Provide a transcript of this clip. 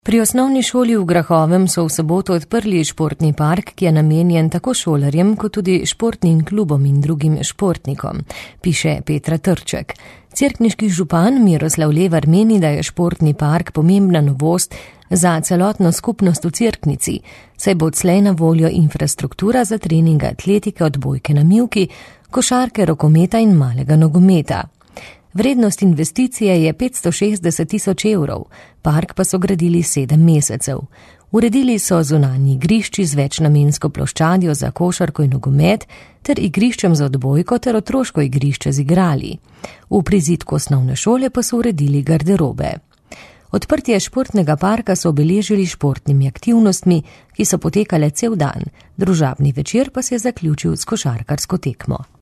Pri osnovni šoli v Grahovem so v soboto odprli športni park, ki je namenjen tako šolarjem, kot tudi športnim klubom in drugim športnikom, piše Petra Trček. Cerkniški župan Miroslav Levar meni, da je športni park pomembna novost za celotno skupnost v Cerknici, saj bo odslej na voljo infrastruktura za trening atletike, odbojke na mivki, košarke, rokometa in malega nogometa. Vrednost investicije je 560 000 evrov, park pa so gradili 7 mesecev. Uredili so zunanji igrišči z večnamensko ploščadjo za košarko in nogomet ter igriščem za odbojko ter otroško igrišče z igrali. V prizidku osnovne šole pa so uredili garderobe. Odprtje športnega parka so obeležili športnimi aktivnostmi, ki so potekale cel dan, družabni večer pa se je zaključil s košarkarsko tekmo.